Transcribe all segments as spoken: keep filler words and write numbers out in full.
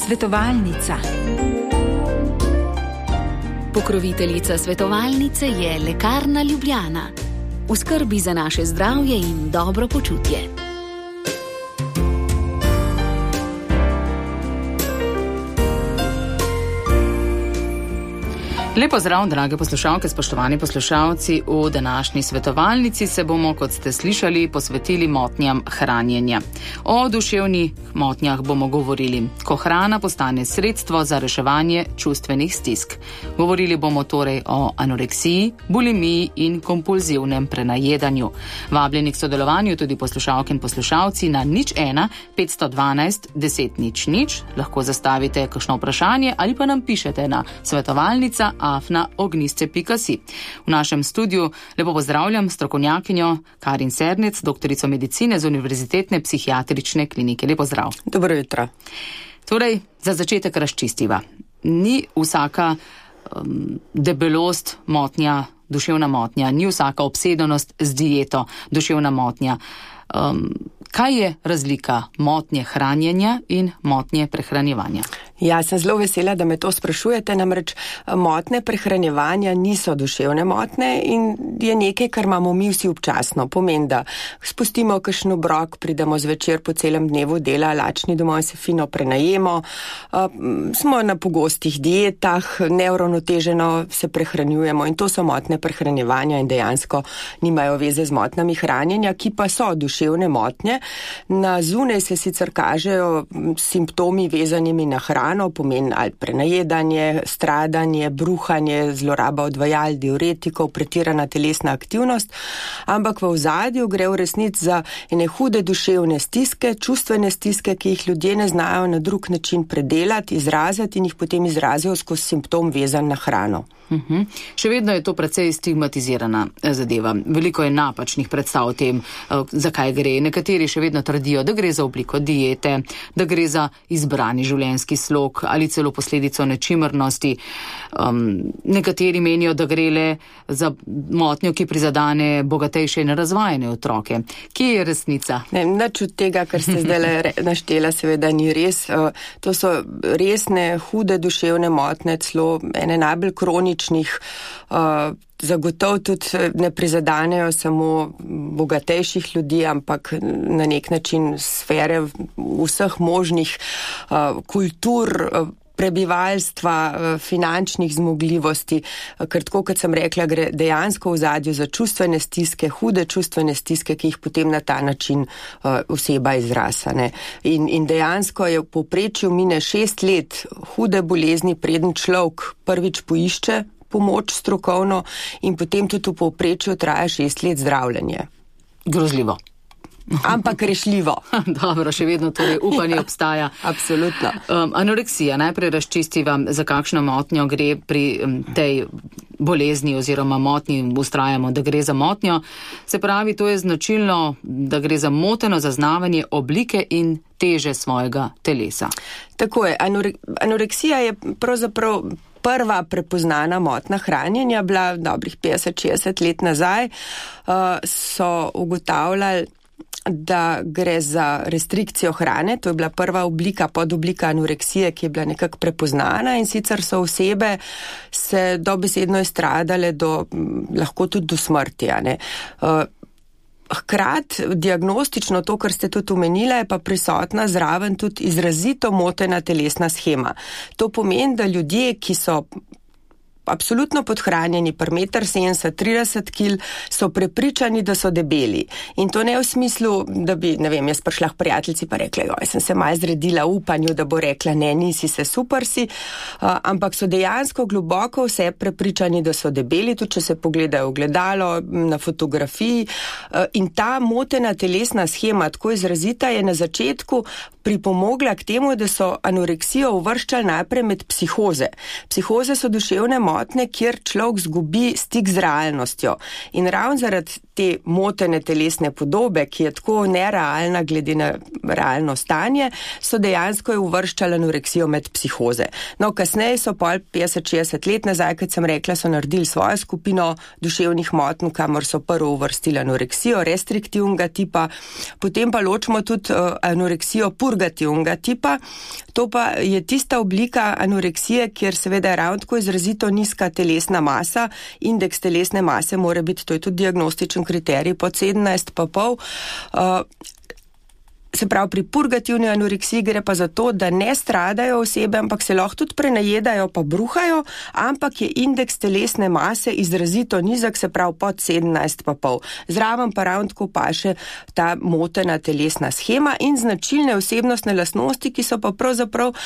Svetovalnica. Pokroviteljica svetovalnice je Lekarna Ljubljana. V skrbi za naše zdravje in dobro počutje. Lepo zdrav, drage poslušalke, spoštovani poslušalci. V današnji svetovalnici se bomo, kot ste slišali, posvetili motnjam hranjenja. O duševnih motnjah bomo govorili, ko hrana postane sredstvo za reševanje čustvenih stisk. Govorili bomo torej o anoreksiji, bulimiji in kompulzivnem prenajedanju. Vabljeni k sodelovanju tudi poslušalke in poslušalci na nič ena petsto dvanajst deset nič nič. Lahko zastavite kakšno vprašanje ali pa nam pišete na svetovalnica afna ognjišče pika si. V našem studiu lepo pozdravljam strokovnjakinjo Karin Sernec, doktorico medicine z Univerzitetne psihiatrične klinike. Lepo zdrav. Dobro jutro. Torej, za začetek razčistiva. Ni vsaka um, debelost motnja, duševna motnja, ni vsaka obsedenost z dieto duševna motnja. Um, kaj je razlika motnje hranjenja in motnje prehranjevanja? Ja, sem zelo vesela, da me to sprašujete, namreč motnje prehranjevanja niso duševne motnje in je nekaj, kar imamo mi vsi občasno. Pomeni, da spustimo kakšen obrok, pridemo zvečer po celem dnevu dela, lačni domov in se fino prenajemo, smo na pogostih dietah, neuravnoteženo se prehranjujemo in to so motnje prehranjevanja in dejansko nimajo veze z motnjami hranjenja, ki pa so duševne motnje. Na zunaj se sicer kažejo simptomi vezanimi na hrano, pomeni ali prenajedanje, stradanje, bruhanje, zloraba odvajal, diuretikov, pretirana telesna aktivnost, ampak v ozadju gre v resnici za ene hude duševne stiske, čustvene stiske, ki jih ljudje ne znajo na drug način predelati, izraziti in jih potem izrazijo skozi simptom vezan na hrano. Uhum. Še vedno je to precej stigmatizirana zadeva. Veliko je napačnih predstav o tem, zakaj gre. Nekateri še vedno trdijo, da gre za obliko diete, da gre za izbrani življenjski slog ali celo posledico nečimrnosti. Um, nekateri menijo, da gre le za motnjo, ki prizadane bogatejše in razvajene otroke. Kje je resnica? Ne, nič od tega, kar ste zdaj naštela, seveda ni res. To so resne, hude duševne motnje, celo ene najbolj kronične. Uh, zagotov tudi ne prizadanejo samo bogatejših ljudi, ampak na nek način sfere vseh možnih uh, kultur, uh, prebivalstva, finančnih zmogljivosti, ker tako, kot sem rekla, gre dejansko v ozadju za čustvene stiske, hude čustvene stiske, ki jih potem na ta način uh, oseba izrasane. In, in dejansko je v povprečju mine šest let hude bolezni, preden človek prvič poišče pomoč strokovno in potem tudi v povprečju traja šest let zdravljenje. Grozljivo. Ampak rešljivo. Dobro, še vedno torej upanje obstaja. Absolutno. Um, anoreksija, najprej razčistiva, za kakšno motnjo gre pri um, tej bolezni oziroma motnji, ustrajamo, da gre za motnjo. Se pravi, to je značilno, da gre za moteno zaznavanje oblike in teže svojega telesa. Tako je. Anore- anoreksija je pravzaprav prva prepoznana motnja hranjenja, bila dobrih petdeset šestdeset let nazaj, uh, so ugotavljali, da gre za restrikcijo hrane, to je bila prva oblika, podoblika anoreksije, ki je bila nekako prepoznana in sicer so osebe se dobesedno izstradale do, lahko tudi do smrti, a ne. Uh, Hkrat, diagnostično to, kar ste tudi omenila, je pa prisotna zraven tudi izrazito motena telesna shema. To pomeni, da ljudje, ki so absolutno podhranjeni, per meter sedemdeset, trideset kil, so prepričani, da so debeli. In to ne v smislu, da bi, ne vem, jaz prišla k prijateljici pa rekla, joj, sem se malo zredila v upanju, da bo rekla, ne, nisi se, super si, uh, ampak so dejansko globoko vse prepričani, da so debeli, tudi če se pogledajo v gledalo, na fotografiji. Uh, in ta motena telesna shema, tako izrazita, je na začetku pripomogla k temu, da so anoreksijo uvrščali najprej med psihoze. Psihoze so duševne motnje, kjer človek zgubi stik z realnostjo. In ravno zaradi te motene telesne podobe, ki je tako nerealna glede na realno stanje, so dejansko jo uvrščali anoreksijo med psihoze. No, kasneje so pol petdeset šestdeset let nazaj, kot sem rekla, so naredili svojo skupino duševnih motenj, kamor so prvo uvrstili anoreksijo restriktivnega tipa, potem pa ločimo tudi uh, anoreksijo purgativnega tipa. To pa je tista oblika anoreksije, kjer seveda je ravno tako izrazito nizka telesna masa, indeks telesne mase mora biti, to je tudi diagnostičen kriterij, pod sedemnajst pa pol. Uh, Se pravi, pri purgativni anoreksiji gre pa za to, da ne stradajo osebe, ampak se lahko tudi prenajedajo pa bruhajo, ampak je indeks telesne mase izrazito nizek, se pravi pod sedemnajst pa pol. Zraven pa ravno tako paše ta motena telesna schema in značilne osebnostne lastnosti, ki so pa pravzaprav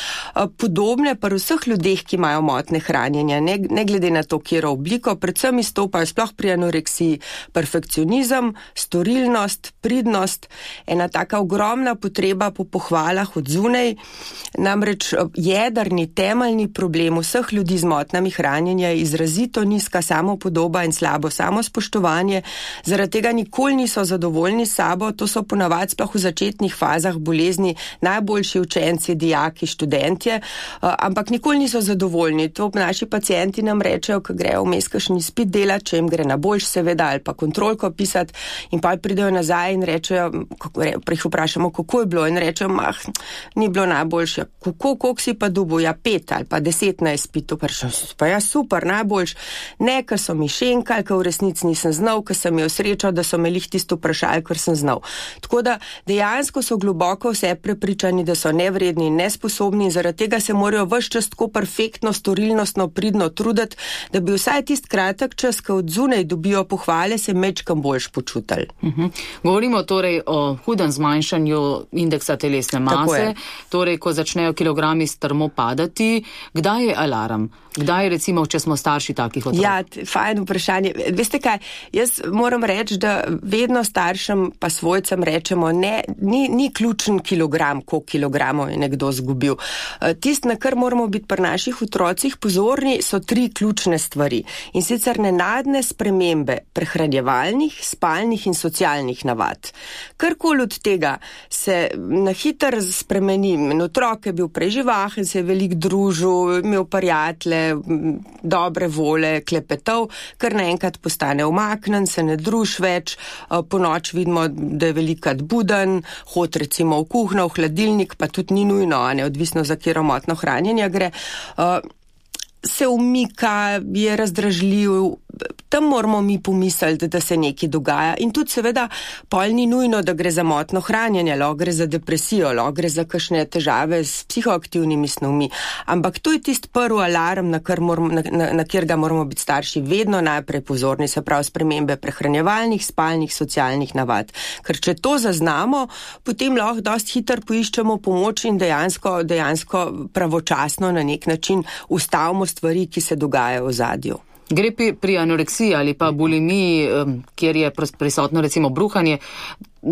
podobne pri vseh ljudeh, ki imajo motnje hranjenja, ne, ne glede na to, kjero obliko, predvsem izstopajo sploh pri anoreksiji perfekcionizem, storilnost, pridnost, ena taka ogromna potreba po pohvalah od zunaj, namreč jedrni, temeljni problem vseh ljudi z motnjami hranjenja je izrazito nizka samopodoba in slabo samospoštovanje, zaradi tega nikoli niso zadovoljni s sabo, to so ponavadi sploh v začetnih fazah bolezni najboljši učenci, dijaki, študentje, ampak nikoli niso zadovoljni. To naši pacienti nam rečejo, ko grejo vmes kakšen izpit delati, če jim gre na boljš seveda, ali pa kontrolko pisati in pa pridejo nazaj in rečejo, pa jih vprašamo, kako je bilo in rečem, ah, ni bilo najboljše. Kako, koliko si pa dobil? Ja, pet ali pa deset na izpitu. Pa ja, super, najboljš. Ne, ker so mi šenkali, ker v resnici nisem znal, ker sem imel srečo, da so me lih tisto vprašali, ker sem znal. Tako da dejansko so globoko vse prepričani, da so nevredni in nesposobni in zaradi tega se morajo ves čas tako perfektno, storilnostno, pridno truditi, da bi vsaj tist kratek čas, ko od zunaj dobijo pohvale, se mečkam boljš počutili. Uh-huh. Govorimo torej o hudem zmanjšanju indeksa telesne mase, torej ko začnejo kilogrami strmo padati, kdaj je alarm? Kdaj recimo, če smo starši takih otrok? Ja, fajn vprašanje. Veste kaj, jaz moram reči, da vedno staršem pa svojcem rečemo, ne, ni, ni ključen kilogram, koliko kilogramov je nekdo zgubil. Tist, na kar moramo biti pri naših otrocih pozorni, so tri ključne stvari. In sicer nenadne spremembe prehranjevalnih, spalnih in socialnih navad. Karkoli od tega se na hiter spremeni. Otrok je bil preživahen, se je veliko družil, imel prijatelje, dobre vole, klepetov, kar naenkrat postane umaknen, se ne druž več, po noč vidimo, da je velikrat buden, hod recimo v kuhno, v hladilnik, pa tudi ni nujno, ne, odvisno za katero motno hranjenje gre, se umika, je razdražljiv, tam moramo mi pomisliti, da se nekaj dogaja. In tudi seveda pol ni nujno, da gre za motno hranjenje, lahko gre za depresijo, lahko gre za kakšne težave s psihoaktivnimi snovmi. Ampak to je tisti prvi alarm, na, moramo, na, na, na kjer ga moramo biti starši vedno najprej pozorni, se pravi spremembe prehranjevalnih, spalnih, socialnih navad. Ker če to zaznamo, potem lahko dosti hitro poiščemo pomoč in dejansko, dejansko pravočasno na nek način ustavimo stvari, ki se dogajajo v zadju. Gre pri anoreksiji ali pa bulimiji, kjer je prisotno recimo bruhanje,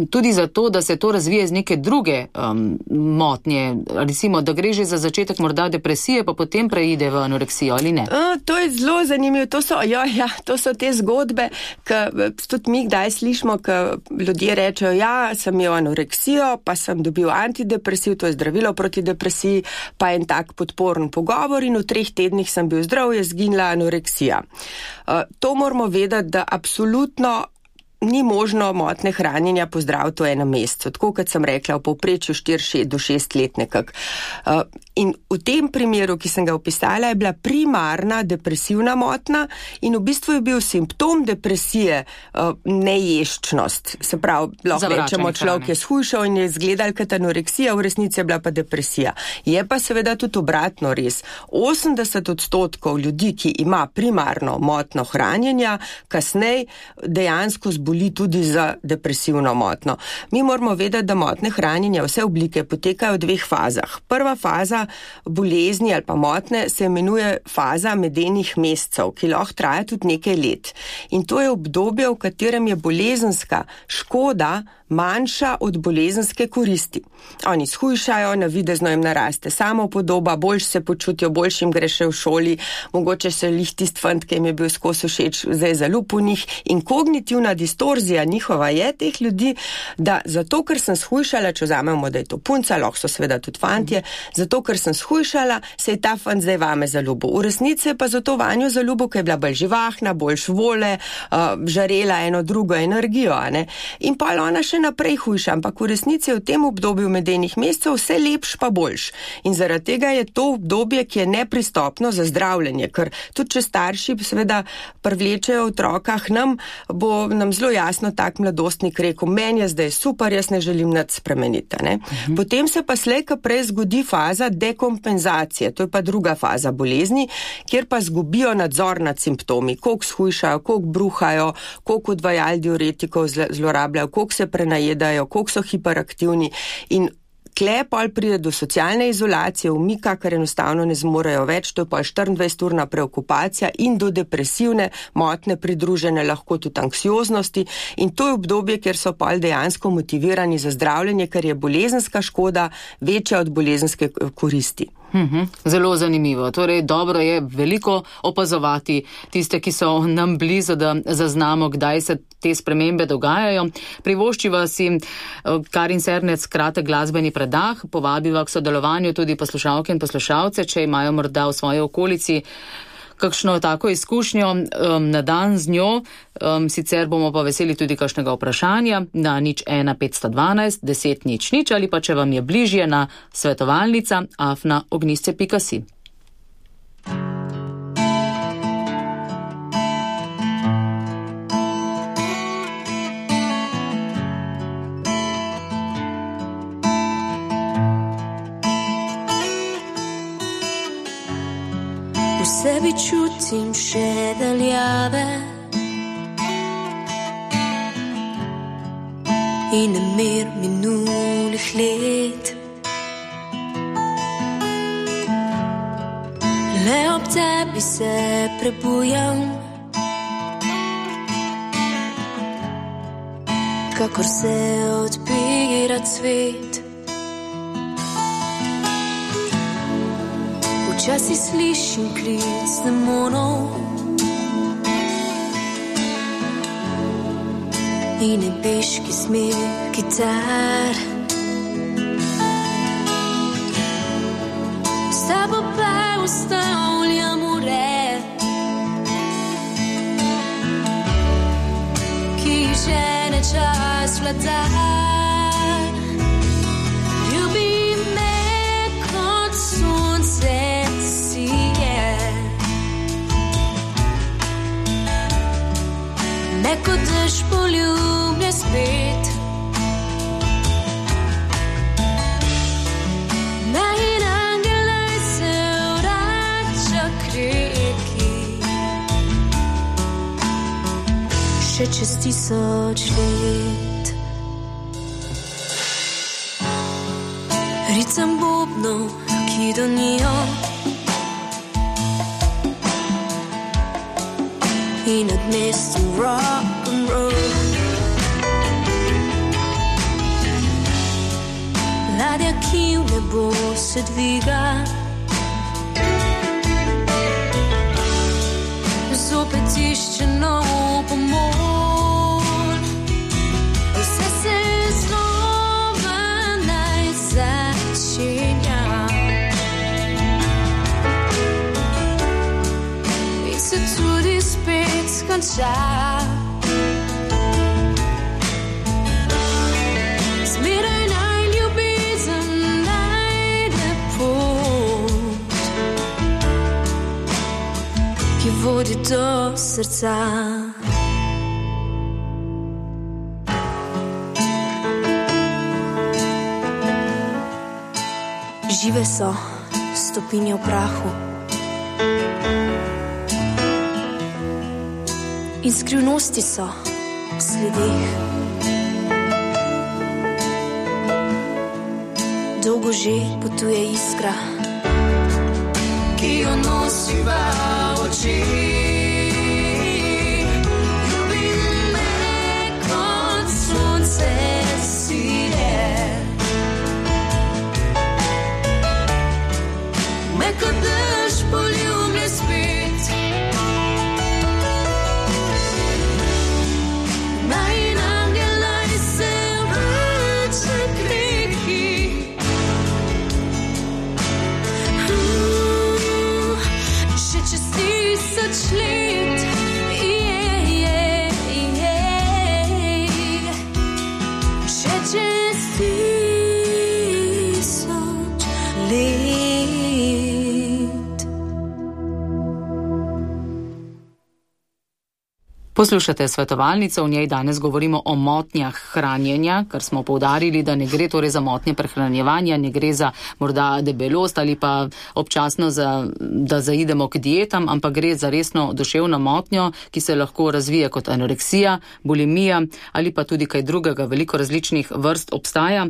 tudi zato, da se to razvije z neke druge um, motnje, recimo, da gre že za začetek morda depresije, pa potem preide v anoreksijo, ali ne? A, to je zelo zanimivo, to so, ja, ja, to so te zgodbe, ki tudi mi kdaj slišimo, ki ljudje rečejo, ja, sem imel anoreksijo, pa sem dobil antidepresiv, to je zdravilo proti depresiji, pa en tak podporen pogovor in v treh tednih sem bil zdrav, je zginila anoreksija. A, to moramo vedeti, da absolutno ni možno motne hranjenja pozdraviti v enem mesecu, tako kot sem rekla, v povprečju štiri do šest let nekak. Uh, in v tem primeru, ki sem ga opisala, je bila primarna depresivna motna in v bistvu je bil simptom depresije uh, neješčnost. Se pravi, lahko rečemo, človek je shujšal in je izgledal kot anoreksija, v resnici je bila pa depresija. Je pa seveda tudi obratno res. osemdeset odstotkov ljudi, ki ima primarno motno hranjenja, kasneje dejansko zboli tudi za depresivno motno. Mi moramo vedeti, da motne hranjenja, vse oblike potekajo v dveh fazah. Prva faza bolezni ali pa motne se imenuje faza medenih mesecev, ki lahko traja tudi nekaj let. In to je obdobje, v katerem je bolezenska škoda manjša od bolezenske koristi. Oni shujšajo, navidezno jim naraste samopodoba, boljš se počutijo, boljš jim gre še v šoli, mogoče se lih tist fant, ki jim je bil skozi všeč, zdaj zalup v njih. In kognitivna distorzija njihova je teh ljudi, da zato, ker sem shujšala, če vzamemo, da je to punca, lahko so seveda tudi fantje, zato, ker sem shujšala, se je ta fant zdaj vame zaljubil. V resnici pa zato vanjo zaljubil, ker je bila bolj živahna, boljš vole, uh, žarela eno drugo energijo, a ne. In pa ona še naprej hujša, ampak v resnici je v tem obdobju medenih mesecev vse lepš pa boljš. In zaradi tega je to obdobje, ki je nepristopno za zdravljenje, ker tudi če starši seveda privlečejo otroka k nam, bo nam zelo jasno tak mladostnik rekel, meni je zdaj super, jaz ne želim nič spremeniti. Ne? Mhm. Potem se pa slej ka prej zgodi faza dekompenzacije, to je pa druga faza bolezni, kjer pa zgubijo nadzor nad simptomi, koliko shujšajo, koliko bruhajo, koliko odvajal diuretikov zlorabljajo, koliko se prenajedajo, koliko so hiperaktivni in tle pol pride do socialne izolacije, umika, ker enostavno ne zmorejo več, to je pol štiriindvajseturna preokupacija in do depresivne motnje pridružene lahko tudi anksioznosti in to je obdobje, kjer so pol dejansko motivirani za zdravljenje, ker je bolezenska škoda večja od bolezenske koristi. Uhum, zelo zanimivo. Torej, dobro je veliko opazovati tiste, ki so nam blizu, da zaznamo, kdaj se te spremembe dogajajo. Privoščiva si Karin Sernec kratek glasbeni predah, povabiva k sodelovanju tudi poslušalke in poslušalce, če imajo morda v svoji okolici kakšno tako izkušnjo um, na dan z njo, um, sicer bomo pa veseli tudi kakšnega vprašanja na nič ena petsto dvanajst deset nič nič ali pa če vam je bližje na svetovalnica afna ognjišče pika si. V sebi čutim še daljave in nemir minulih let. Le ob tebi se prebujam, kakor se odpira cvet. Včasih slišim klic demonov in nebeški smeh kitar. S tabo pa ustavljam ure, ki žene čas vladar. Neko dež poljubne spet, naj angelaj se vrača k reki, še čez tisoč let. Ricam bobnov, ki donijo in nad mestom rock and roll. Ladja, ki v nebo se dviga, zopet išče nov pomol. Vse se znova naj začenja in se tudi spet skonča. Zmeraj naj ljubezen najde pot, ki vodi do srca. Žive so stopinje v prahu in skrivnosti so v sledeh. Dolgo že potuje iskra, ki jo nosiva v oči. Ljubi me kot sonce Poslušate svetovalnico, v njej danes govorimo o motnjah hranjenja, kar smo poudarili, da ne gre torej za motnje prehranjevanja, ne gre za morda debelost ali pa občasno, za, da zaidemo k dietam, ampak gre za resno duševno motnjo, ki se lahko razvije kot anoreksija, bulimija ali pa tudi kaj drugega, veliko različnih vrst obstaja.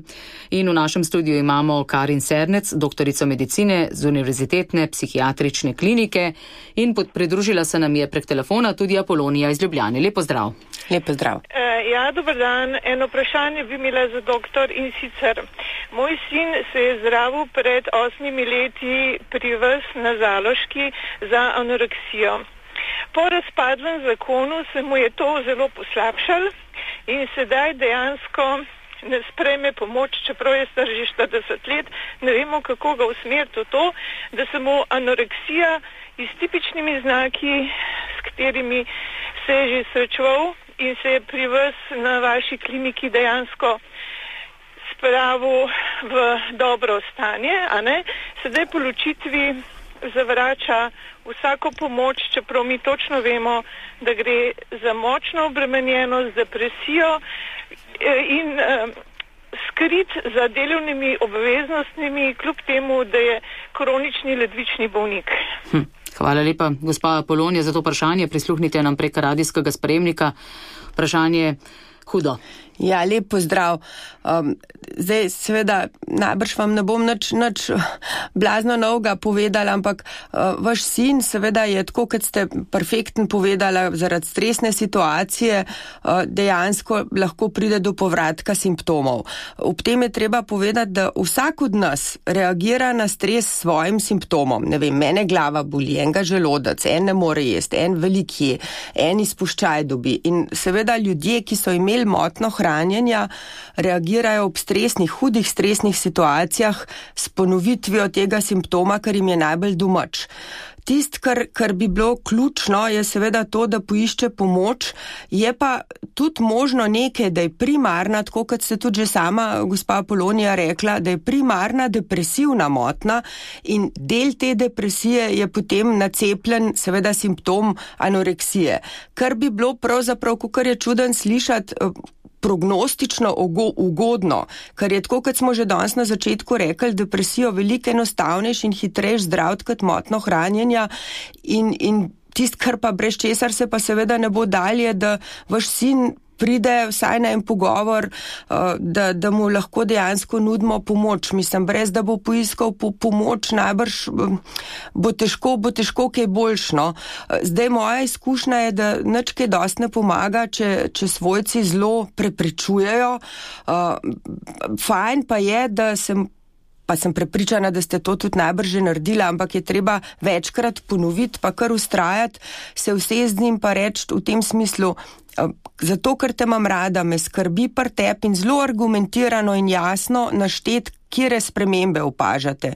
In v našem studiu imamo Karin Sernec, doktorico medicine z Univerzitetne psihiatrične klinike, in pridružila se nam je prek telefona tudi Apolonija iz Ljubljane. Lep pozdrav. Lep pozdrav. Uh, ja, dober dan. Eno vprašanje bi imela za doktor, in sicer moj sin se je zdravil pred osmimi leti pri vas na Zaloški za anoreksijo. Po razpadlem zakonu se mu je to zelo poslabšalo in sedaj dejansko ne sprejme pomoč, čeprav je star že štirideset let. Ne vemo, kako ga usmeriti v to, da se mu anoreksija in s tipičnimi znaki, s katerimi se je že srečeval in se je pri vas na vaši kliniki dejansko spravil v dobro stanje, a ne? Sedaj po ločitvi zavrača vsako pomoč, čeprav mi točno vemo, da gre za močno obremenjenost, depresijo in eh, skrit za delovnimi obveznostmi, kljub temu, da je kronični ledvični bolnik. Hm. Hvala lepa, gospa Apolonija, za to vprašanje. Prisluhnite nam prek radijskega sprejemnika. Vprašanje hudo. Ja, lep pozdrav. Um, zdaj, seveda, najbrž vam ne bom nič, nič blazno novega povedala, ampak uh, vaš sin, seveda, je tako, kot ste perfektno povedala, zaradi stresne situacije uh, dejansko lahko pride do povratka simptomov. Ob tem je treba povedati, da vsak od nas reagira na stres s svojim simptomom. Ne vem, mene glava boli, enega želodec, en ne more jesti, en velik je, en izpuščaj dobi. In seveda ljudje, ki so imeli motno hranjenja, reagirajo ob stresnih, hudih stresnih situacijah s ponovitvijo tega simptoma, kar jim je najbolj domač. Tist, kar, kar bi bilo ključno, je seveda to, da poišče pomoč, je pa tudi možno nekaj, da je primarna, tako kot ste tudi že sama, gospa Apolonija, rekla, da je primarna depresivna motna in del te depresije je potem nacepljen seveda simptom anoreksije. Kar bi bilo pravzaprav, kar je čuden slišati, prognostično ugodno, kar je tako, kot smo že danes na začetku rekli, depresijo veliko enostavnejši in hitrejši zdraviti kot motno hranjenja in, in tist, kar pa brez česar se pa seveda ne bo dalje, da vaš sin pride vsaj na en pogovor, da, da mu lahko dejansko nudimo pomoč. Mislim, brez da bo poiskal po, pomoč, najbrž bo težko, bo težko kaj boljšno. Zdaj moja izkušnja je, da nič kaj dosti ne pomaga, če, če svojci zelo preprečujejo. Fajn pa je, da sem pa sem prepričana, da ste to tudi najbrž že naredila, ampak je treba večkrat ponoviti, pa kar ustrajati, se usesti z njim pa reči v tem smislu, zato, ker te imam rada, me skrbi pri tebi in zelo argumentirano in jasno naštet, kjere spremembe opažate.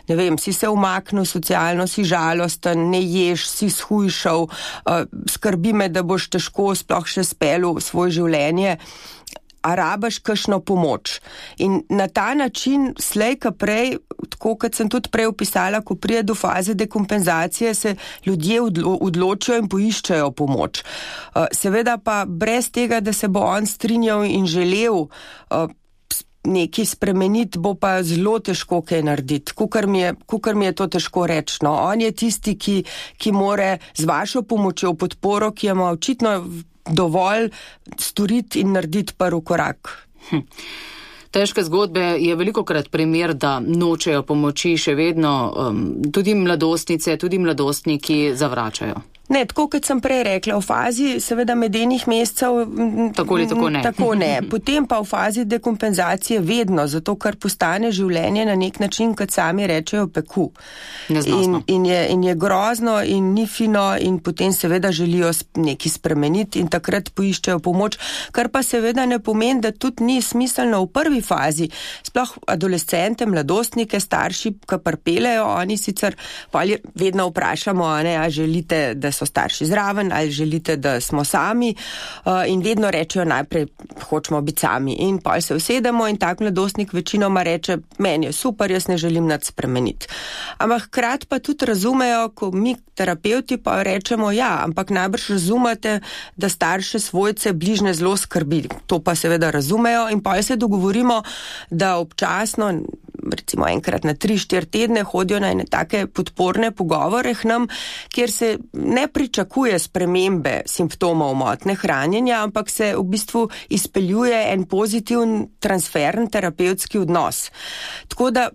Ne vem, si se umaknil socialno, si žalosten, ne ješ, si shujšal, skrbi me, da boš težko sploh še spelil svoje življenje, a rabaš kakšno pomoč. In na ta način, slej ka prej, tako kot sem tudi prej opisala, ko prije do faze dekompenzacije, se ljudje odlo- odločijo in poiščejo pomoč. Seveda pa brez tega, da se bo on strinjal in želel nekaj spremeniti, bo pa zelo težko kaj narediti. Kukor mi je, kukor mi je to težko reči. No. On je tisti, ki, ki more z vašo pomočjo, podporo, ki ima očitno dovolj storiti in narediti prvi korak. Hm. Težke zgodbe je velikokrat primer, da nočejo pomoči, še vedno um, tudi mladostnice, tudi mladostniki zavračajo. Ne, tako kot sem prej rekla, v fazi seveda medenih mesecev tako ali tako ne. Tako ne. Potem pa v fazi dekompenzacije vedno, zato ker postane življenje na nek način, kot sami rečejo, peku. In, in, je, in je grozno in ni fino in potem seveda želijo nekaj spremeniti in takrat poiščejo pomoč, kar pa seveda ne pomeni, da tudi ni smiselno v prvi fazi. Sploh adolescente, mladostnike, starši, ki prpelejo, oni sicer vedno vprašamo, a ne, a želite, da so starši zraven ali želite, da smo sami in vedno rečejo najprej, hočemo biti sami in pol se usedemo in tak mladostnik večinoma reče, meni je super, jaz ne želim nič spremeniti. Ampak hkrati pa tudi razumejo, ko mi terapeuti pa rečemo, ja, ampak najbrž razumete, da starše svojce bližnje zelo skrbi. To pa seveda razumejo in pol se dogovorimo, da občasno, recimo enkrat na tri, štiri tedne hodijo na ene take podporne pogovore k nam, kjer se ne pričakuje spremembe simptomov motnje hranjenja, ampak se v bistvu izpeljuje en pozitiven transferen terapevtski odnos. Tako da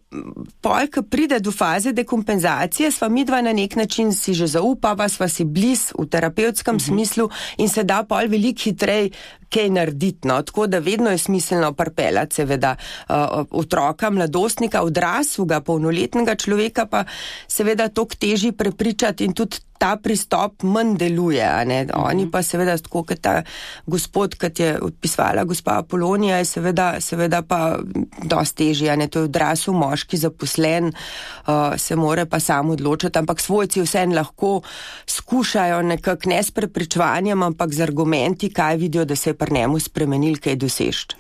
pol, ko pride do faze dekompenzacije, sva midva na nek način si že zaupava, sva si bliz v terapevtskem uh-huh. smislu in se da pol veliko hitrej kaj narediti, no, tako da vedno je smiselno pripeljati seveda uh, otroka, mladostnika, odraslega, polnoletnega človeka pa seveda toliko težji prepričati in tudi ta pristop manj deluje, a ne. Oni pa seveda, tako kot ta gospod, kot je odpisvala gospa Apolonija, je seveda, seveda pa dosti težji, a ne. To je odrasel moški zaposlen, uh, se more pa sam odločiti, ampak svojci vseeno lahko skušajo nekako ne s prepričevanjem, ampak z argumenti, kaj vidijo, da se je pri njemu spremenil, kaj dosežt.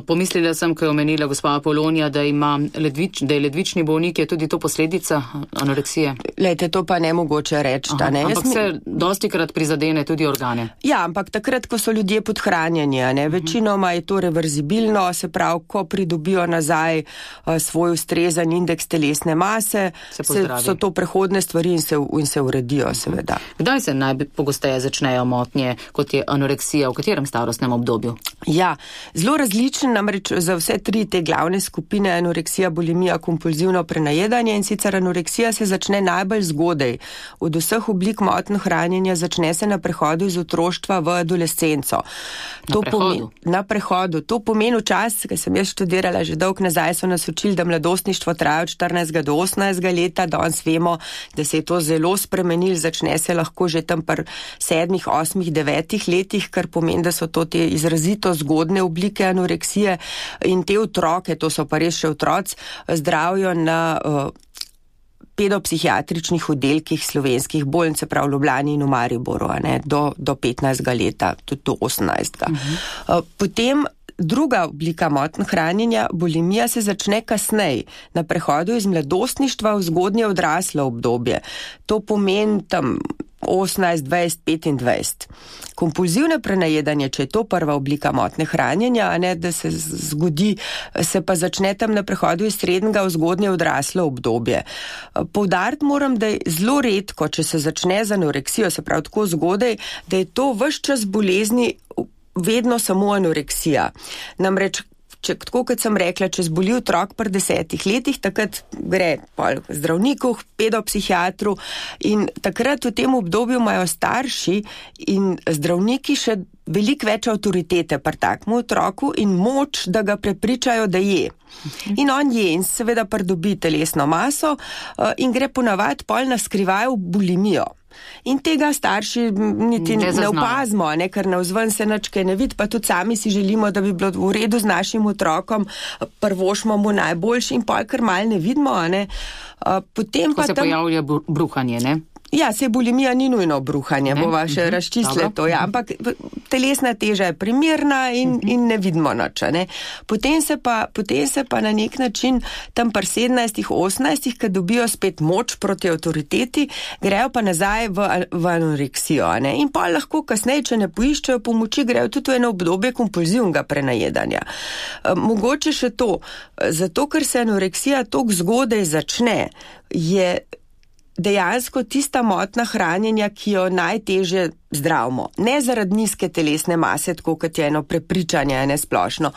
Pomislila sem, ko je omenila gospa Apolonija, da ima ledvič, da je ledvični bolnik, je tudi to posledica anoreksije? Lejte, to pa ne mogoče reči. Aha, ampak mi... se dosti krat prizadene tudi organe. Ja, ampak takrat, ko so ljudje podhranjeni, ne, večinoma je to reverzibilno, se pravi, ko pridobijo nazaj uh, svoj ustrezen indeks telesne mase, se se, so to prehodne stvari in se, in se uredijo, seveda. Kdaj se najpogosteje začnejo motnje, kot je anoreksija, v katerem starostnem obdobju? Ja, zelo različen, namreč za vse tri te glavne skupine, anoreksija, bulimija, kompulzivno prenajedanje, in sicer anoreksija se začne najbolj zgodaj. Od vseh oblik motnj hranjenja začne se na prehodu iz otroštva v adolescenco. Na prehodu? Na prehodu. To pomeni čas, ki sem jaz študirala že dolg nazaj, so nas učili, da mladostništvo traja od štirinajstega do osemnajstega leta, danes vemo, da se je to zelo spremenilo, začne se lahko že tam pri sedmih, osmih, devetih letih, kar pomeni, da so to te izrazito zgodne oblike anoreksije in te otroke, to so pa res še otroci, zdravijo na uh, pedopsihiatričnih oddelkih slovenskih bolnic, se pravi v Ljubljani in v Mariboru, ne, do, do petnajstega leta, tudi do osemnajstega. Uh-huh. Potem druga oblika motnj hranjenja, bulimija, se začne kasneje, na prehodu iz mladostništva v zgodnje odraslo obdobje. To pomeni tam osemnajst, dvajset, petindvajset. Kompulzivno prenajedanje, če je to prva oblika motnje hranjenja, a ne, da se zgodi, se pa začne tam na prehodu iz srednjega v zgodnje odraslo obdobje. Poudariti moram, da je zelo redko, če se začne z anoreksijo, se pravi tako zgodaj, da je to ves čas bolezni vedno samo anoreksija. Namreč, če, tako kot sem rekla, če zboli otrok pri desetih letih, takrat gre pol zdravniku, pedopsihiatru in takrat v tem obdobju imajo starši in zdravniki še veliko več avtoritete pri takmu otroku in moč, da ga prepričajo, da je. In on je in seveda pridobi telesno maso in gre ponavadi pol na skrivaj v bulimijo. In tega starši niti ne, ne opazimo, ne, ker navzven se nič kaj ne vidi, pa tudi sami si želimo, da bi bilo v redu z našim otrokom, prvošmo mu najboljši in pol kar mal ne vidimo, ne. Potem ko pa se tam pojavlja bruhanje, ne? Ja, se bulimija ni nujno bruhanje, bova še razčistile to, ja, ampak telesna teža je primerna in, in ne vidimo nič, ne. Potem se pa, potem se pa na nek način tam pri sedemnajstih, osemnajstih, ko dobijo spet moč proti avtoriteti, grejo pa nazaj v, v anoreksijo, ne. In pa lahko kasneje, če ne poiščejo pomoči, grejo tudi v eno obdobje kompulzivnega prenajedanja. Mogoče še to, zato ker se anoreksija toliko zgodaj začne, je dejansko tista motnja hranjenja, ki jo najtežje zdravimo. Ne zaradi nizke telesne mase, tako kot je eno prepričanje, ne splošno,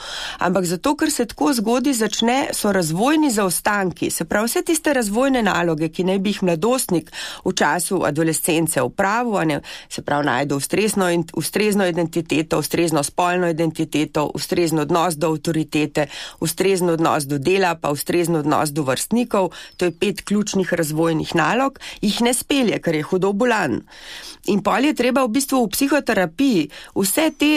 ampak zato, ker se tako zgodaj začne, so razvojni zaostanki, se pravi vse tiste razvojne naloge, ki naj bi jih mladostnik v času adolescence opravil, ne, se pravi najde ustrezno, ustrezno identiteto, ustrezno spolno identiteto, ustrezen odnos do avtoritete, ustrezen odnos do dela, pa ustrezen odnos do vrstnikov, to je pet ključnih razvojnih nalog, jih ne spelje, ker je hudo bolan. In pol je treba v bistvu v psihoterapiji vse te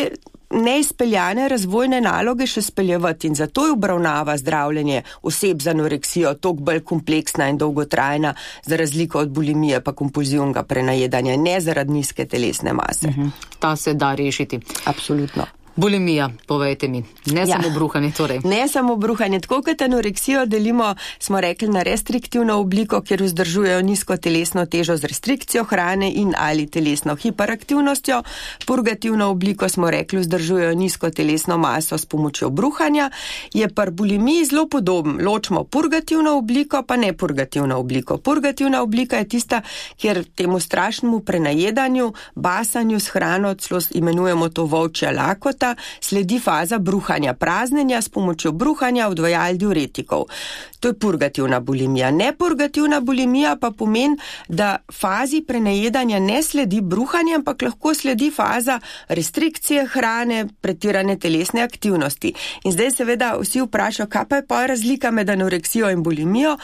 neizpeljane razvojne naloge še speljevati in zato je obravnava zdravljenje oseb z anoreksijo toliko bolj kompleksna in dolgotrajna za razliko od bulimije pa kompulzivnega prenajedanja, ne zaradi nizke telesne mase. Uh-huh. Ta se da rešiti. Absolutno. Bulimija, povejte mi, ne ja. samo bruhanje torej. Ne samo bruhanje, tako kot anoreksijo delimo, smo rekli, na restriktivno obliko, kjer vzdržujejo nizko telesno težo z restrikcijo hrane in ali telesno hiperaktivnostjo. Purgativno obliko smo rekli, vzdržujejo nizko telesno maso s pomočjo bruhanja. Je pri bulimiji zelo podoben. Ločimo purgativno obliko pa ne purgativno obliko. Purgativna oblika je tista, kjer temu strašnemu prenajedanju, basanju s hrano, celo imenujemo to volčja lakota, sledi faza bruhanja, praznenja s pomočjo bruhanja odvajal diuretikov. To je purgativna bulimija. Nepurgativna bulimija pa pomeni, da fazi prenajedanja ne sledi bruhanja, ampak lahko sledi faza restrikcije hrane, pretirane telesne aktivnosti. In zdaj seveda vsi vprašajo, kaj pa je pa razlika med anoreksijo in bulimijo.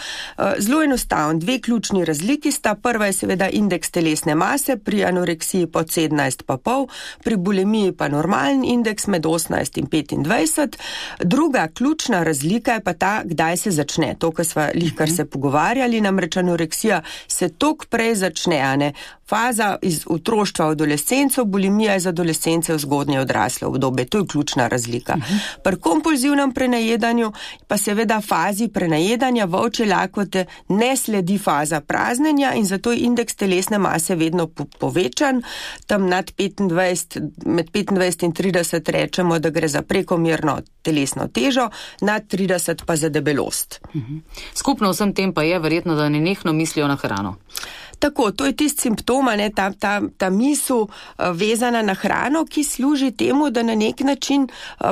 Zelo enostavno, dve ključni razliki sta. Prva je seveda indeks telesne mase, pri anoreksiji pod sedemnajst pa pol, pri bulimiji pa normalen indeks med osemnajst in petindvajset. Druga ključna razlika je pa ta, kdaj se začne. To, kar sva lihkar se pogovarjali, namreč anoreksija se tok prej začne, a ne? Faza iz otroštva v adolescenco, bulimija iz adolescence v zgodnje odrasle obdobje. To je ključna razlika. Uh-huh. Pri kompulzivnem prenajedanju pa seveda fazi prenajedanja volčje lakote ne sledi faza praznenja in zato je indeks telesne mase vedno po- povečan. Tam nad petindvajset, med petindvajset in trideset rečemo, da gre za prekomerno telesno težo, nad trideset pa za debelost. Uh-huh. Skupno vsem tem pa je verjetno, da nenehno mislijo na hrano. Tako, to je tisti simptom, ne, ta, ta, ta misel uh, vezana na hrano, ki služi temu, da na nek način uh,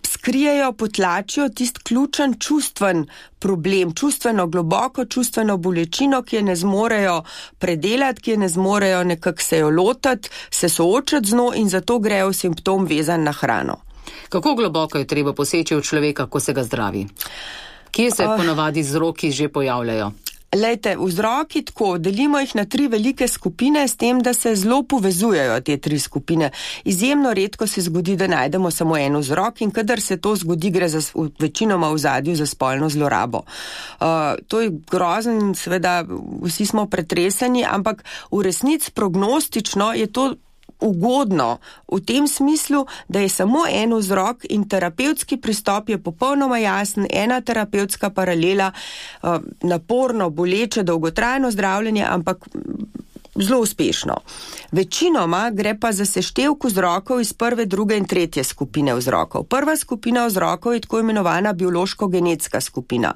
skrijejo, potlačijo tisti ključen čustven problem, čustveno globoko, čustveno bolečino, ki je ne zmorejo predelati, ki je ne zmorejo nekako se jo lotati, se soočati z njo in zato grejo simptom vezan na hrano. Kako globoko je treba poseči v človeka, ko se ga zdravi? Kje se uh, ponavadi vzroki že pojavljajo? Lejte, vzroki tako, delimo jih na tri velike skupine s tem, da se zelo povezujejo te tri skupine. Izjemno redko se zgodi, da najdemo samo en vzrok in kadar se to zgodi, gre za večinoma v ozadju za spolno zlorabo. Uh, to je grozen, seveda vsi smo pretreseni, ampak v resnici prognostično je to ugodno v tem smislu, da je samo en vzrok in terapevtski pristop je popolnoma jasen, ena terapevtska paralela, naporno, boleče, dolgotrajno zdravljenje, ampak zelo uspešno. Večinoma gre pa za seštevk vzrokov iz prve, druge in tretje skupine vzrokov. Prva skupina vzrokov je tako imenovana biološko-genetska skupina.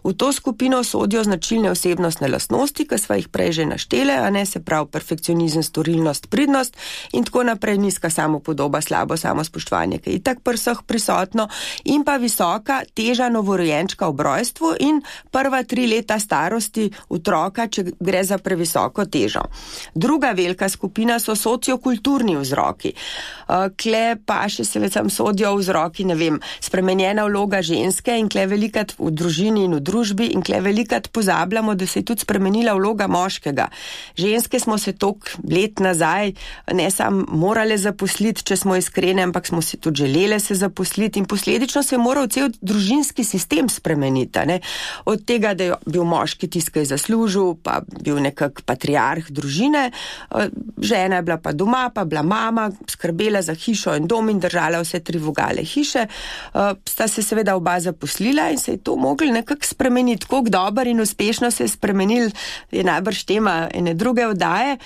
V to skupino sodijo značilne osebnostne lastnosti, ki sva jih prej že naštele, a ne, se pravi perfekcionizem, storilnost, pridnost in tako naprej, nizka samopodoba, slabo samospoštovanje, ki je itak pri vseh prisotno, in pa visoka teža novorojenčka ob rojstvu in prva tri leta starosti otroka, če gre za previsoko težo. Druga velika skupina so sociokulturni vzroki. Kle pa še seveda sodijo vzroki, ne vem, spremenjena vloga ženske in kle velikat v družini in v družbi in kle velikat pozabljamo, da se je tudi spremenila vloga moškega. Ženske smo se tok let nazaj ne sam morale zaposliti, če smo iskrene, ampak smo si tudi želele se zaposliti in posledično se je moral cel družinski sistem spremeniti. Ne? Od tega, da je bil moški tisti, ki je zaslužil, pa bil nekak patriarh družine, žena je bila pa doma, pa bila mama, skrbela za hišo in dom in držala vse tri vogale hiše, sta se seveda oba zaposlila in se je to mogli nekako spremeniti. Koliko dober in uspešno se je spremenil, je najbrž tema ene druge oddaje.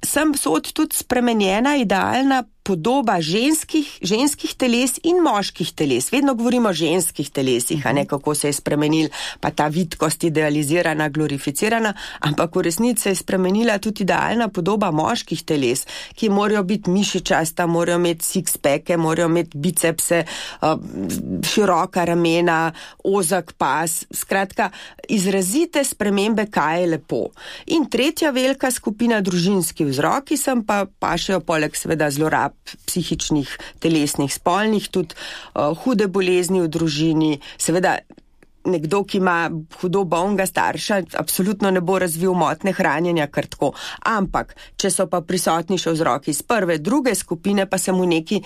Sem sod tudi spremenjena idealna podoba ženskih, ženskih teles in moških teles. Vedno govorimo o ženskih telesih, a ne kako se je spremenil, pa ta vitkost idealizirana, glorificirana, ampak v resnici se je spremenila tudi idealna podoba moških teles, ki morajo biti mišičasta, morajo imeti six-packe, morajo imeti bicepse, široka ramena, ozak pas, skratka, izrazite spremembe, kaj je lepo. In tretja velika skupina, družinski vzroki, sem pa pašejo poleg seveda zlorab psihičnih, telesnih, spolnih, tudi uh, hude bolezni v družini, seveda nekdo, ki ima hudo bolnega starša, absolutno ne bo razvil motne hranjenja kar tako. Ampak, če so pa prisotni še vzroki iz prve, druge skupine, pa se mu nekaj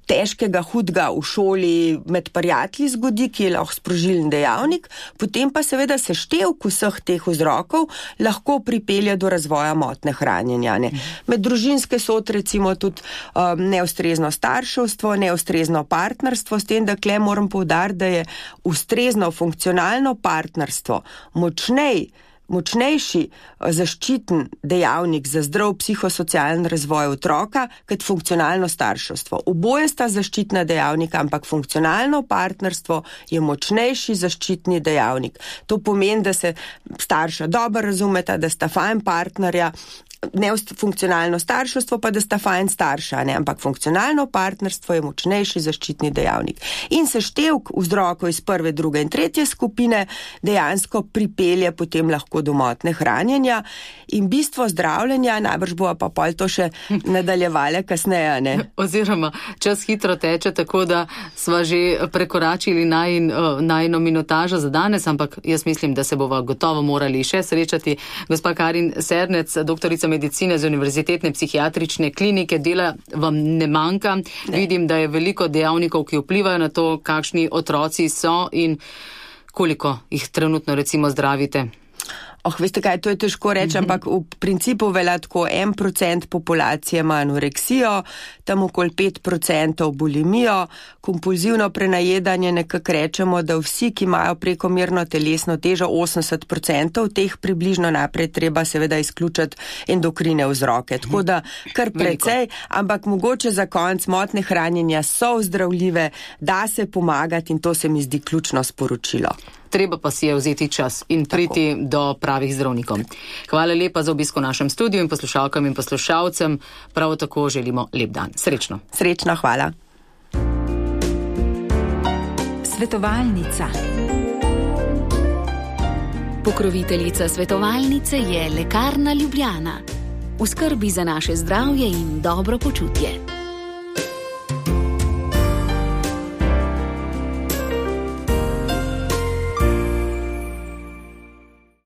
težkega, hudega v šoli med prijatelji zgodi, ki je lahko sprožilni dejavnik, potem pa seveda seštevk vseh teh vzrokov lahko pripelje do razvoja motne hranjenja. Ne. Med družinske so recimo tudi um, neustrezno starševstvo, neustrezno partnerstvo, s tem, da kle moram poudariti, da je ustrezno funkcionalno partnerstvo močnej, močnejši zaščiten dejavnik za zdrav psihosocialen razvoj otroka, kot funkcionalno starševstvo. Oboje sta zaščitna dejavnika, ampak funkcionalno partnerstvo je močnejši zaščitni dejavnik. To pomeni, da se starša dobro razumeta, da sta fajn partnerja, ne funkcionalno starševstvo pa, da sta fajn starša, ne, ampak funkcionalno partnerstvo je močnejši zaščitni dejavnik. In seštevk vzrokov iz prve, druge in tretje skupine dejansko pripelje potem lahko do motne hranjenja in bistvo zdravljenja, najbrž bo pa pol to še nadaljevale kasneje, ne. Oziroma, čas hitro teče, tako da sva že prekoračili najin, najino minutažo za danes, ampak jaz mislim, da se bova gotovo morali še srečati. Gospa Karin Sernec, doktorica medicine z Univerzitetne psihiatrične klinike, dela vam ne manjka. Ne. Vidim, da je veliko dejavnikov, ki vplivajo na to, kakšni otroci so in koliko jih trenutno recimo zdravite. Oh, veste kaj, to je težko reči, mm-hmm. ampak v principu velja tako, en procent populacije ima anoreksijo, tam okoli pet procentov bulimijo, kompulzivno prenajedanje, nekako rečemo, da vsi, ki imajo prekomerno telesno težo, osemdeset procentov, teh približno naprej treba seveda izključiti endokrine vzroke. Tako da kar precej, ampak mogoče za konc motne hranjenja so ozdravljive, da se pomagati in to se mi zdi ključno sporočilo. Treba pa si je vzeti čas in priti tako do pravih zdravnikov. Hvala lepa za obisko v našem studiu in poslušalkam in poslušalcem. Prav tako želimo lep dan. Srečno. Srečno, hvala. Svetovalnica. Pokroviteljica svetovalnice je Lekarna Ljubljana. V skrbi za naše zdravje in dobro počutje.